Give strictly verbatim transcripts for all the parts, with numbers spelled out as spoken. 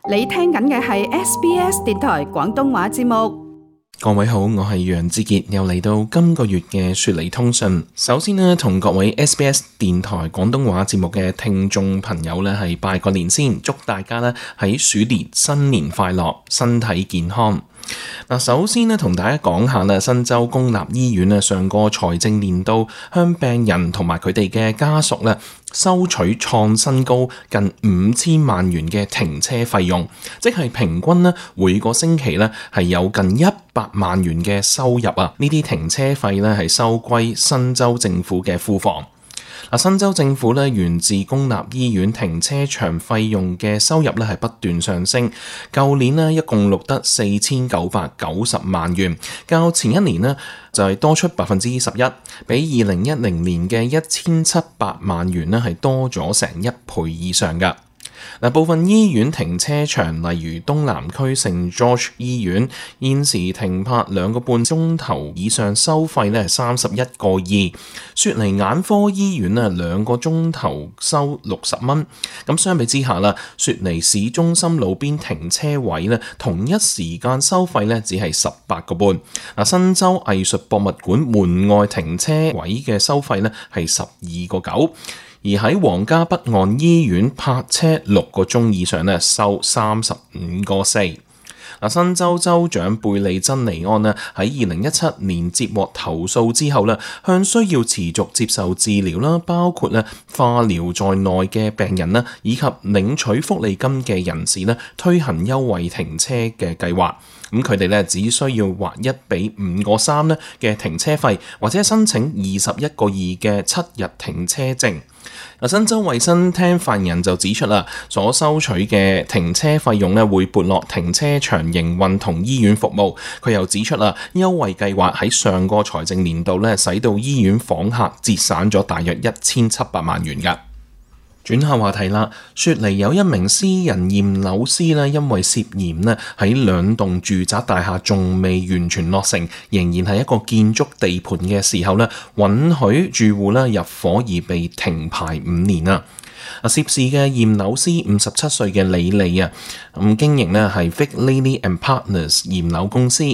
你聽緊嘅係 S B S 電台廣東話節目。各位好，我係楊志傑，又嚟到今個月嘅雪梨通訊。首先呢，同各位 S B S 電台廣東話節目嘅聽眾朋友呢係拜個年先，祝大家呢喺鼠年新年快樂，身體健康。嗱，首先呢，同大家講下呢，新州公立醫院呢上個財政年度向病人同埋佢哋嘅家屬呢收取創新高近五千萬元嘅停車費用，即係平均呢每個星期呢係有近一百萬元嘅收入啊！呢啲停車費呢係收歸新州政府嘅庫房。新州政府咧源自公立醫院停車場費用嘅收入咧係不斷上升，舊年咧一共錄得四千九百九十萬元，較前一年咧就係多出百分之十一，比二零一零年嘅一千七百萬元咧係多咗成一倍以上噶。嗱，部分醫院停車場，例如東南區聖 George 醫院，現時停泊兩個半鐘頭以上收費咧係三十一個二。雪梨眼科醫院啊，兩個鐘頭收六十蚊。咁相比之下啦，雪梨市中心路邊停車位咧，同一時間收費咧只係十八個半。嗱，新州藝術博物館門外停車位嘅收費咧係十二個九。而喺皇家北岸醫院泊車六個鐘以上咧，收三十五個四。嗱，新州州長貝利珍尼安咧喺二零一七年接獲投訴之後咧，向需要持續接受治療啦，包括咧化療在內嘅病人啦，以及領取福利金嘅人士咧，推行優惠停車嘅計劃。咁佢哋咧只需要劃一比五個三咧嘅停車費，或者申請二十一個二嘅七日停車證。新州衛生廳發言人就指出啦，所收取嘅停車費用咧會撥落停車場營運同醫院服務。佢又指出啦，優惠計劃喺上個財政年度咧，使到醫院訪客節省咗大約一千七百萬元㗎。轉下話題啦，雪梨有一名私人驗樓師咧，因為涉嫌咧喺兩棟住宅大廈仲未完全落成，仍然係一個建築地盤嘅時候咧，允許住戶咧入伙而被停牌五年啊！涉事嘅驗樓師五十七歲嘅李利啊，咁經營咧係 Vic Lilly and Partners 驗樓公司。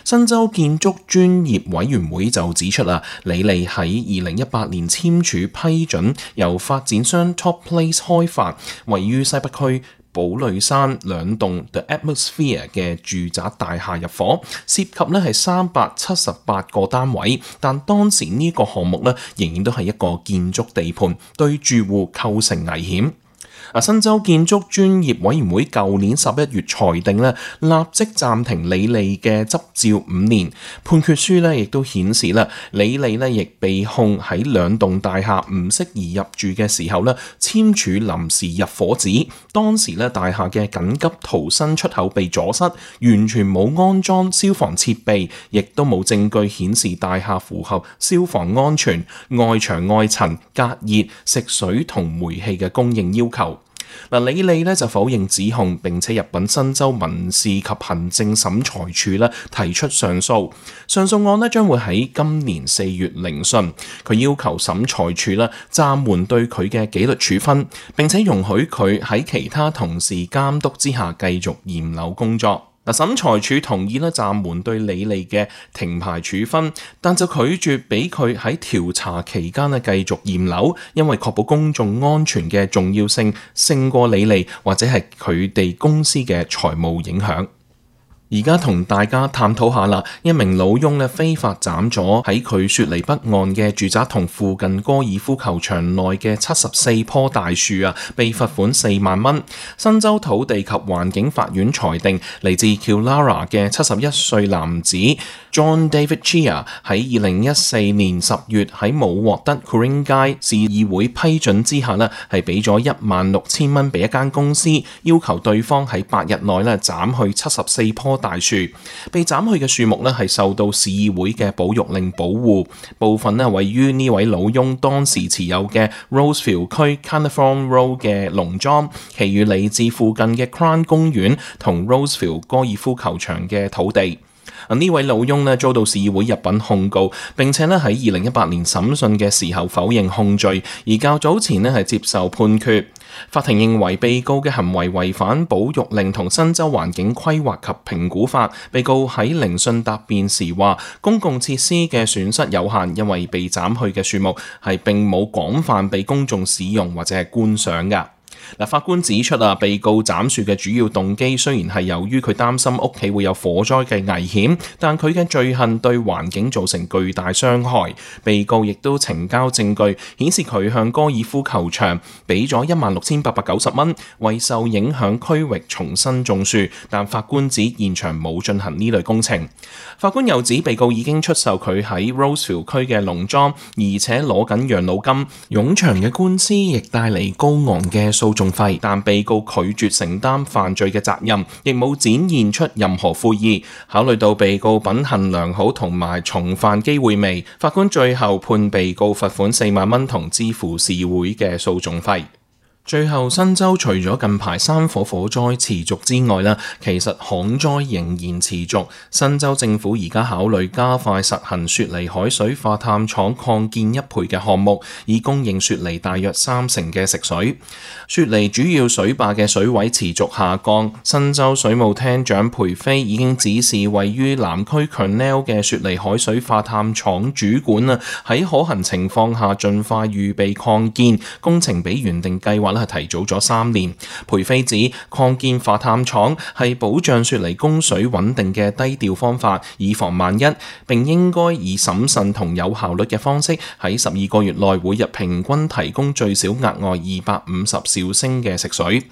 新州建築專業委員會就指出啦，李利喺二零一八年簽署批准由發展商 Top Place 開發，位於西北區寶類山兩棟 The Atmosphere 嘅住宅大廈入伙，涉及咧係三百七十八個單位，但當時呢個項目咧仍然都係一個建築地盤，對住戶構成危險。新州建築專業委員會舊年十一月裁定咧，立即暫停李利嘅執照五年。判決書咧亦都顯示啦，李利咧亦被控喺兩棟大廈唔適宜入住嘅時候咧，簽署臨時入伙紙。當時咧大廈嘅緊急逃生出口被阻塞，完全冇安裝消防設備，亦都冇證據顯示大廈符合消防安全、外牆外層隔熱、食水同煤氣嘅供應要求。嗱，李利咧就否認指控，並且入稟新州民事及行政審裁處咧提出上訴。上訴案咧將會喺今年四月聆訊。佢要求審裁處咧暫緩對佢嘅紀律處分，並且容許佢喺其他同事監督之下繼續驗樓工作。嗱，審裁處同意咧暫緩對李利嘅停牌處分，但就拒絕俾佢喺調查期間咧繼續驗樓，因為確保公眾安全嘅重要性勝過李利或者係佢哋公司嘅財務影響。而家同大家探討下啦，一名老翁咧非法斬咗喺佢雪梨北岸嘅住宅同附近高爾夫球場內嘅七十四棵大樹啊，被罰款四萬蚊。新州土地及環境法院裁定，嚟自 Killara 嘅七十一歲男子 John David Chia 喺二零一四年十月喺冇獲得 Corinne 街市議會批准之下咧，係俾咗一萬六千蚊俾一間公司，要求對方喺八日內咧斬去七十四棵大樹。被斬去嘅樹木咧係受到市議會嘅保育令保護，部分咧位於呢位老翁當時持有嘅 Rosefield 區 Carnarvon Road 嘅農莊，其餘嚟自附近嘅 Crown 公園同 Rosefield 高爾夫球場嘅土地。呢位老翁咧遭到市議會入稟控告，並且咧喺二零一八年審訊嘅時候否認控罪，而較早前咧係接受判決。法庭認為被告嘅行為違反保育令同新州環境規劃及評估法。被告喺聆訊答辯時話，公共設施嘅損失有限，因為被斬去嘅樹木係並冇廣泛被公眾使用或者係觀賞㗎。嗱，法官指出啊，被告斬樹嘅主要動機雖然係由於佢擔心屋企會有火災嘅危險，但佢嘅罪行對環境造成巨大傷害。被告亦都呈交證據，顯示佢向高爾夫球場俾咗一萬六千八百九十蚊，為受影響區域重新種樹，但法官指現場冇進行呢類工程。法官又指被告已經出售佢喺 Roseville 區嘅農莊，而且攞緊養老金。冗長嘅官司亦帶嚟高昂嘅訴訟費，但被告拒絕承擔犯罪嘅責任，亦冇展現出任何悔意。考慮到被告品行良好同埋重犯機會微，法官最後判被告罰款四萬蚊同支付市會嘅訴訟費。最後，新州除咗近排山火火災持續之外啦，其實旱災仍然持續。新州政府而家考慮加快實行雪梨海水化淡廠擴建一倍嘅項目，以供應雪梨大約三成嘅食水。雪梨主要水壩嘅水位持續下降，新州水務廳長培菲已經指示位於南區 Kurnell 嘅雪梨海水化淡廠主管啊，喺可行情況下盡快預備擴建工程，比原定計劃係提早咗三年。培菲指擴建化淡廠係保障雪梨供水穩定嘅低調方法，以防萬一，並應該以審慎同有效率嘅方式喺十二個月內每日平均提供最少額外二百五十兆升嘅食水。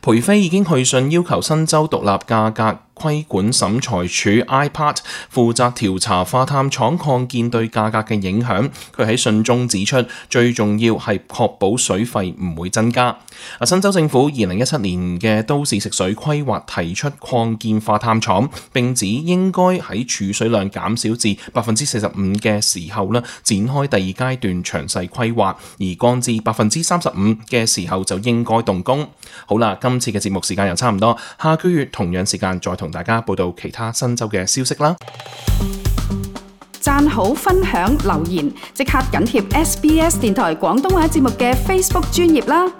培菲已經去信要求新州獨立價格規管審裁處 I P A T 負責調查化淡廠擴建對價格嘅影響。佢喺信中指出，最重要係確保水費唔會增加。新州政府二零一七年嘅都市食水規劃提出擴建化淡廠，並指應該喺儲水量減少至百分之四十五嘅時候呢，展開第二階段詳細規劃，而降至百分之三十五嘅時候就應該動工。好啦，今次嘅節目時間又差唔多，下個月同樣時間再同大家報道其他新州嘅消息啦。讚好、分享、留言，即刻緊貼 S B S 電台廣東話節目嘅 Facebook 專頁啦！